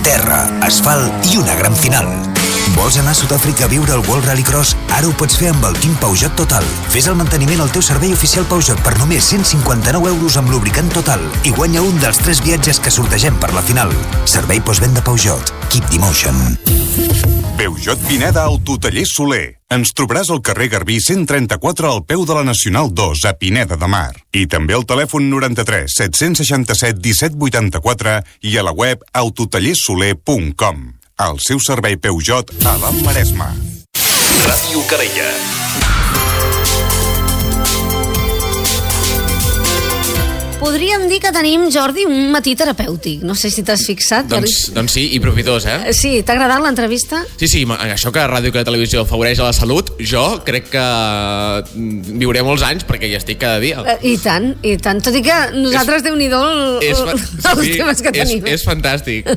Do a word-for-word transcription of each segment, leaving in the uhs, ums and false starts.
terra, asfalt i una gran final. Vols anar a Sud-àfrica a viure el World Rallycross? Ara ho pots fer amb el Team Peugeot Total. Fes el manteniment al teu servei oficial Peugeot per només cent cinquanta-nou euros amb lubricant Total i guanya un dels tres viatges que sortegem per la final. Servei postvenda Peugeot. Keep the motion. Peugeot Pineda Autotaller Soler. Ens trobaràs al carrer Garbí cent trenta-quatre al peu de la Nacional dos a Pineda de Mar. I també al telèfon noranta-tres set-cents seixanta-set disset vuitanta-quatre i a la web autotallersoler punt com. El seu servei Peugeot a l'Alt Maresme. Ràdio Calella. Podríem dir que tenim, Jordi, un matí terapèutic. No sé si t'has fixat. Doncs, doncs sí, i profitós, eh? Sí, t'ha agradat l'entrevista? Sí, sí, això que Ràdio i que la televisió afavoreix a la salut, jo crec que viuré molts anys perquè hi estic cada dia. I tant, i tant. Tot i que nosaltres, és, Déu-n'hi-do, el, els sí, temes que és, tenim. És fantàstic.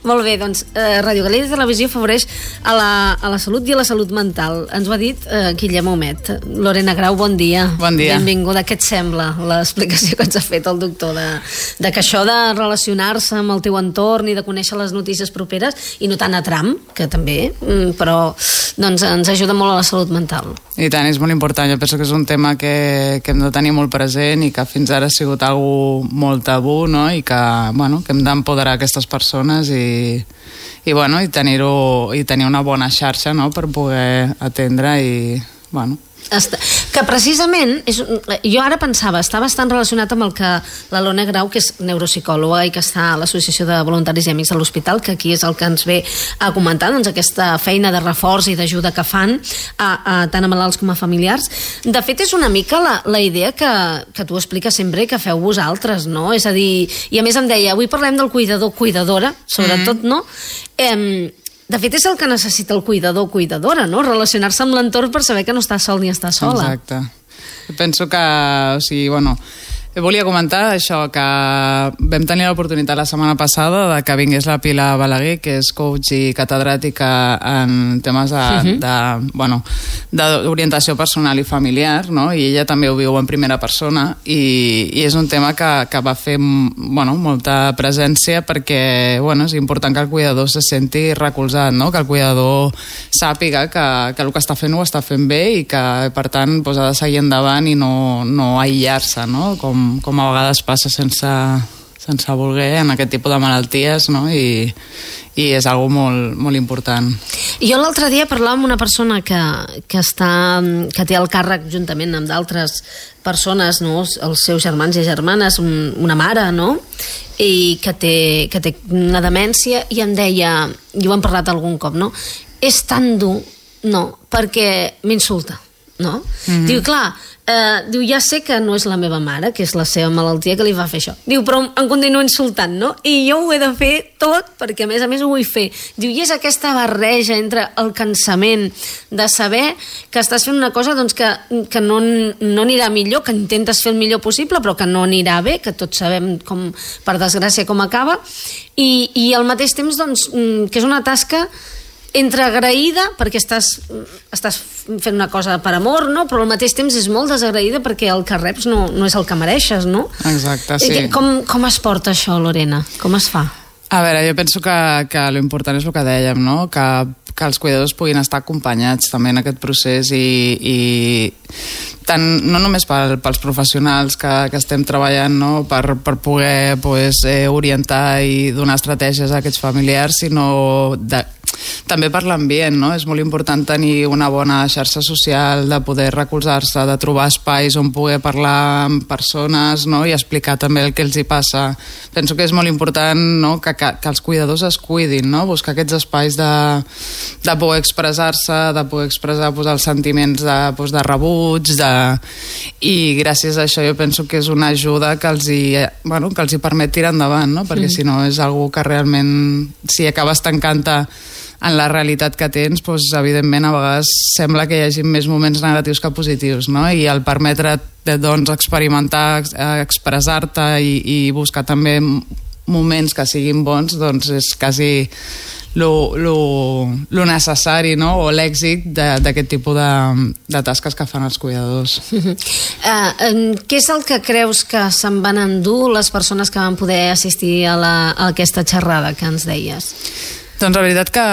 Molt bé, doncs, eh, Ràdio Calella i televisió afavoreix a la, a la salut i a la salut mental. Ens ho ha dit eh, Guillem Homet. Lorena Grau, bon dia. Bon dia. Benvinguda. Què et sembla l'explicació que ens ha fet el doctor de, de que això de relacionar-se amb el teu entorn i de conèixer les notícies properes i no tant a tram, que també, però doncs ens ajuda molt a la salut mental. I tant, és molt important. Jo penso que és un tema que, que hem de tenir molt present i que fins ara ha sigut algo molt tabú, no? I que, bueno, que hem d'empoderar aquestes persones i, i, bueno, i tenir-ho i tenir una bona xarxa, no? Per poder atendre i, bueno... Que precisament, és, jo ara pensava, està bastant relacionat amb el que la Lorena Grau, que és neuropsicòloga i que està a l'Associació de Voluntaris i Amics de l'Hospital, que aquí és el que ens ve a comentar, doncs aquesta feina de reforç i d'ajuda que fan a, a, tant a malalts com a familiars. De fet, és una mica la, la idea que, que tu expliques sempre que feu vosaltres, no? És a dir, i a més em deia, avui parlem del cuidador, cuidadora, sobretot, mm-hmm. no? Eh, De fet, és el que necessita el cuidador o cuidadora, no? Relacionar-se amb l'entorn per saber que no està sol ni està sola. Exacte. Penso que, o sigui, bueno, volia comentar això, que vam tenir l'oportunitat la setmana passada de que vingués la Pilar Balaguer, que és coach i catedràtica en temes de, uh-huh. de, bueno, d'orientació personal i familiar, no? I ella també ho viu en primera persona i, i és un tema que, que va fer bueno, molta presència perquè bueno, és important que el cuidador se senti recolzat, no? Que el cuidador sàpiga que, que el que està fent ho està fent bé i que per tant doncs, ha de seguir endavant i no, no aïllar-se, no? Com com a vegades passa sense, sense voler en aquest tipus de malalties, no? I, i és algo molt, molt important. Jo l'altre dia parlava amb una persona que, que, està, que té el càrrec juntament amb d'altres persones, no? Els seus germans i germanes, un, una mare, no? I que té, que té una demència i em deia, i ho hem parlat algun cop, no? És tan dur, no, perquè m'insulta, no? Mm-hmm. Diu, clar, Uh, diu, ja sé que no és la meva mare, que és la seva malaltia que li va fer això. Diu, però em continua insultant, no? I jo ho he de fer tot, perquè a més a més ho vull fer. Diu, i és aquesta barreja entre el cansament de saber que estàs fent una cosa doncs, que, que no, no anirà millor, que intentes fer el millor possible, però que no anirà bé, que tots sabem, com, per desgràcia, com acaba, i, i al mateix temps, doncs, que és una tasca entre agraïda, perquè estàs, estàs fent una cosa per amor, no? Però al mateix temps és molt desagraïda perquè el que reps no, no és el que mereixes, no? Exacte, sí. Com, com es porta això, Lorena? Com es fa? A veure, jo penso que, que l'important és el que dèiem, no? Que, que els cuidadors puguin estar acompanyats també en aquest procés i, i tant, no només pel, pels professionals que, que estem treballant, no? per, per poder pues, eh, orientar i donar estratègies a aquests familiars, sinó de, també per l'ambient, no? És molt important tenir una bona xarxa social, de poder recolzar-se, de trobar espais on poder parlar amb persones, no? I explicar també el que els hi passa. Penso que és molt important, no? que, que, que els cuidadors es cuidin, no? Buscar aquests espais de, de poder expressar-se, de poder expressar pues, els sentiments de, pues, de rebuig, de... i gràcies a això jo penso que és una ajuda que els hi, bueno, que els hi permet tirar endavant, no? Perquè mm. si no és algo que realment, si acabes tancant-te en la realitat que tens, doncs, evidentment a vegades sembla que hi hagi més moments negatius que positius, no? I el permetre doncs, experimentar, expressar-te i, i buscar també moments que siguin bons, doncs és quasi lo, lo, lo necessari, no? O l'èxit d'aquest tipus de, de tasques que fan els cuidadors. Uh, uh, què és el que creus que se'n van endur les persones que van poder assistir a, la, a aquesta xerrada que ens deies? Doncs la veritat que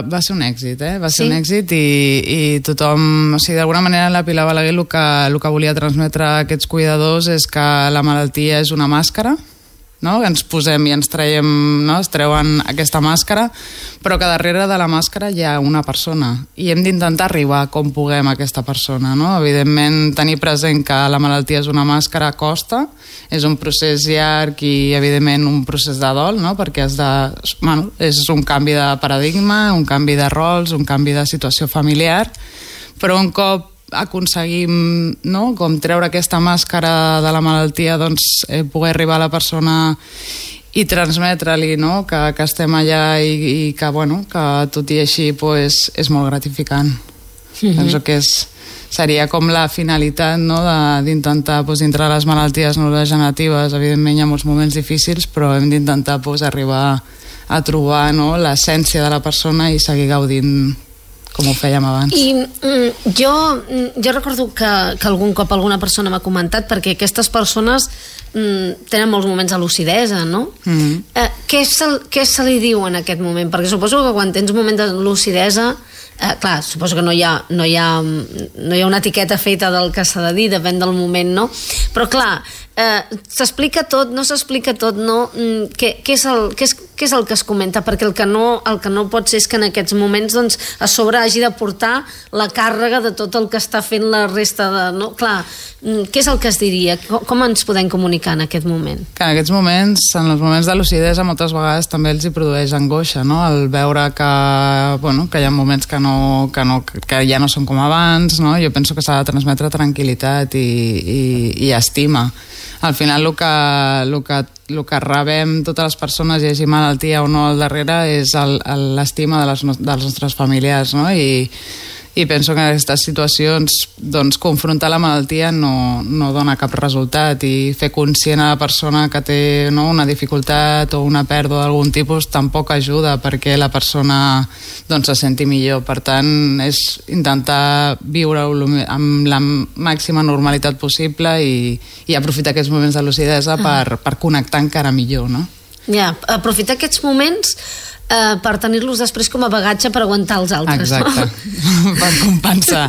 va ser un èxit, eh? Va ser sí? un èxit i, i tothom, o sigui, d'alguna manera la Pilar Balaguer el que, el que volia transmetre a aquests cuidadors és que la malaltia és una màscara, no? Que ens posem i ens traiem, no? Es treuen aquesta màscara, però que darrere de la màscara hi ha una persona i hem d'intentar arribar com puguem a aquesta persona, no? Evidentment, tenir present que la malaltia és una màscara costa, és un procés llarg i evidentment un procés de dol, no? Perquè has de, bueno, és un canvi de paradigma, un canvi de rols, un canvi de situació familiar, però un cop aconseguim, no?, com treure aquesta màscara de la malaltia, doncs eh, poder arribar a la persona i transmetre-li, no?, que, que estem allà i, i que, bueno, que tot i així pues, és molt gratificant. Mm-hmm. Penso que és, seria com la finalitat, no?, d'intentar pues, dintre les malalties neurodegeneratives. Evidentment hi ha molts moments difícils, però hem d'intentar pues, arribar a trobar, no?, l'essència de la persona i seguir gaudint com ho fèiem abans. I mm, jo, jo recordo que, que algun cop alguna persona m'ha comentat, perquè aquestes persones mm, tenen molts moments de lucidesa, no? Mm-hmm. Eh, què, se, què se li diu en aquest moment? Perquè suposo que quan tens un moment de lucidesa, eh, clar, suposo que no hi ha, no hi ha, no hi ha una etiqueta feta del que s'ha de dir, depèn del moment, no? Però clar, eh, s'explica tot, no s'explica tot, no? Mm, què, què, és el, què, és, què és el que es comenta? Perquè el que no, el que no pot ser és que en aquests moments doncs, a sobre hagi de portar la càrrega de tot el que està fent la resta de... No? Clar, mm, què és el que es diria? Com, com ens podem comunicar en aquest moment? Que en aquests moments, en els moments de lucidesa, moltes vegades també els hi produeix angoixa, no? El veure que, bueno, que hi ha moments que, no, que, no, que ja no són com abans, no? Jo penso que s'ha de transmetre tranquil·litat i, i, i estima. Al final el que, el que, el que rebem totes les persones, hi hagi malaltia o no al darrere, és l'estima de les, dels nostres familiars, no? I, i penso que en aquestes situacions doncs, confrontar la malaltia no, no dona cap resultat i fer conscient a la persona que té, no, una dificultat o una pèrdua d'algun tipus tampoc ajuda perquè la persona doncs, se senti millor. Per tant, és intentar viure-ho amb la màxima normalitat possible i, i aprofitar aquests moments de lucidesa per, per connectar encara millor, no? Ja, aprofitar aquests moments eh, per tenir-los després com a bagatge per aguantar els altres. Exacte, no? Per compensar.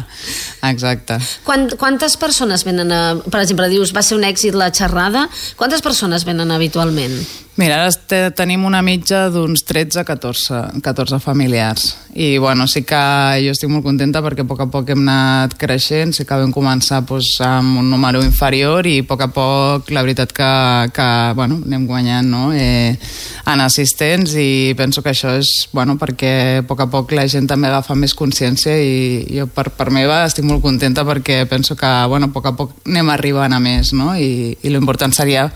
Exacte. Quant, quantes persones venen a... Per exemple, dius, va ser un èxit la xerrada. Quantes persones venen habitualment? Mira, ara tenim una mitja d'uns tretze a catorze familiars. I, bueno, sí que jo estic molt contenta perquè a poc a poc hem anat creixent, sí que vam començar doncs, amb un número inferior i a poc a poc la veritat que, que bueno, anem guanyant, no? eh, en assistents i penso que això és bueno, perquè a poc a poc la gent també agafa més consciència i jo per, per meva estic molt contenta perquè penso que bueno, a poc a poc anem arribant a més, no? I, i l'important seria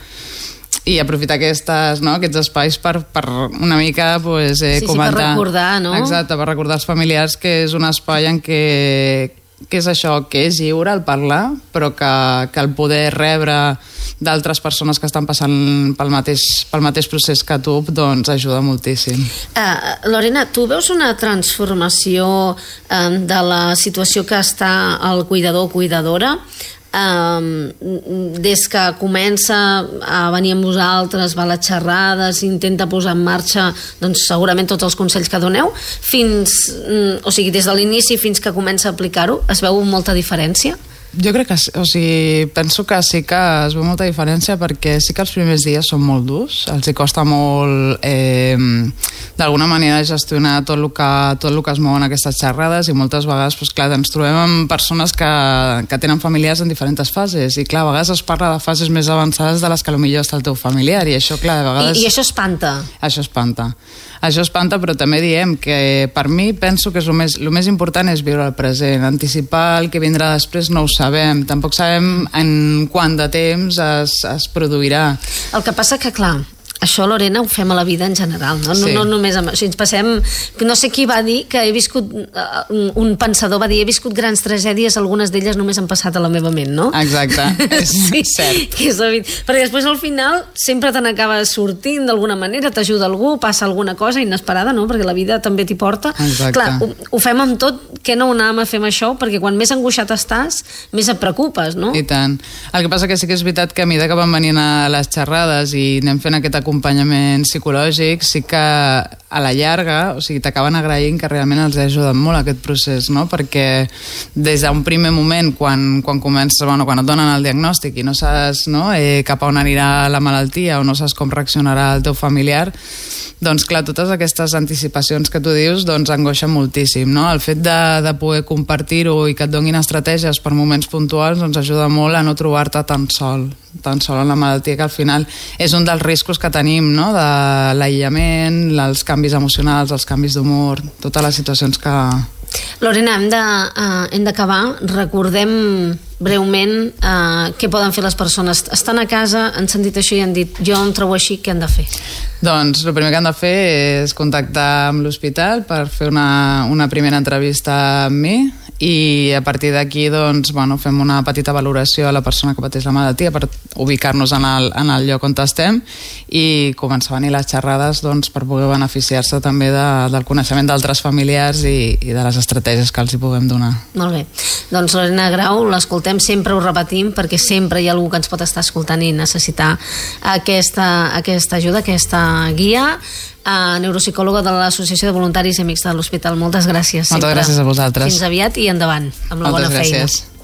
i aprofitar aquestes, no, aquests espais per, per una mica pues, eh, sí, comentar... Sí, per recordar, no? Exacte, per recordar als familiars que és un espai en què, que és això, que és lliure el parlar, però que, que el poder rebre d'altres persones que estan passant pel mateix, pel mateix procés que tu, doncs ajuda moltíssim. Uh, Lorena, tu veus una transformació uh, de la situació que està el cuidador o cuidadora? Um, des que comença a venir amb vosaltres, va a les xerrades, intenta posar en marxa doncs, segurament tots els consells que doneu fins, o sigui, des de l'inici fins que comença a aplicar-ho, es veu molta diferència? Jo crec que, o sigui, penso que sí que es veu molta diferència perquè sí que els primers dies són molt durs, els hi costa molt eh, d'alguna manera gestionar tot el, que, tot el que es mouen aquestes xerrades i moltes vegades, doncs, clar, ens trobem amb persones que, que tenen familiars en diferents fases i clar, a vegades es parla de fases més avançades de les que potser està el teu familiar i això, clar, a vegades... I, i això espanta? Això espanta. Això espanta, però també diem que per mi penso que és el més, el més important és viure el present, anticipar el que vindrà després no ho sabem, tampoc sabem en quant de temps es, es produirà. El que passa que, clar, això, Lorena, ho fem a la vida en general, no? Sí. No, no només amb... O sigui, ens passem... No sé qui va dir que he viscut... Un, un pensador va dir, he viscut grans tragèdies, algunes d'elles només han passat a la meva ment, no? Exacte, és sí, cert. Que és evident. Perquè després al final sempre te n'acabes sortint d'alguna manera, t'ajuda algú, passa alguna cosa inesperada, no? Perquè la vida també t'hi porta. Exacte. Clar, ho, ho fem amb tot, que no ho anàvem a fer amb això, perquè quan més angoixat estàs, més et preocupes, no? I tant. El que passa que sí que és veritat que a mesura que van venint a les xerrades i anem fent aquest acompanyament psicològic, sí que a la llarga, o sigui, t'acaben agraint que realment els ha ajudat molt aquest procés, no? Perquè des d'un primer moment, quan, quan comences, bueno, quan et donen el diagnòstic i no saps, no, eh, cap a on anirà la malaltia o no saps com reaccionarà el teu familiar, doncs clar, totes aquestes anticipacions que tu dius doncs angoixen moltíssim, no? El fet de, de poder compartir-ho i que et donin estratègies per moments puntuals doncs ajuda molt a no trobar-te tan sol, tan sol en la malaltia, que al final és un dels riscos que tenim, no? De l'aïllament, els canvis emocionals, els canvis d'humor, totes les situacions que... Lorena, hem de, uh, hem d'acabar. Recordem breument uh, què poden fer les persones. Estan a casa, han sentit això i han dit jo em trobo així, què han de fer? Doncs el primer que han de fer és contactar amb l'hospital per fer una, una primera entrevista amb mi i a partir d'aquí doncs, bueno, fem una petita valoració a la persona que pateix la malaltia per ubicar-nos en el, en el lloc on estem i començar a venir les xerrades doncs, per poder beneficiar-se també de, del coneixement d'altres familiars i, i de les estratègies que els hi puguem donar. Molt bé. Doncs Lorena Grau, l'escoltem, sempre ho repetim perquè sempre hi ha algú que ens pot estar escoltant i necessitar aquesta, aquesta ajuda, aquesta guia. Uh, neuropsicòloga de l'Associació de Voluntaris i Amics de l'Hospital. Moltes gràcies. Moltes sempre. gràcies a vosaltres. Fins aviat i endavant amb la Moltes bona gràcies. feina.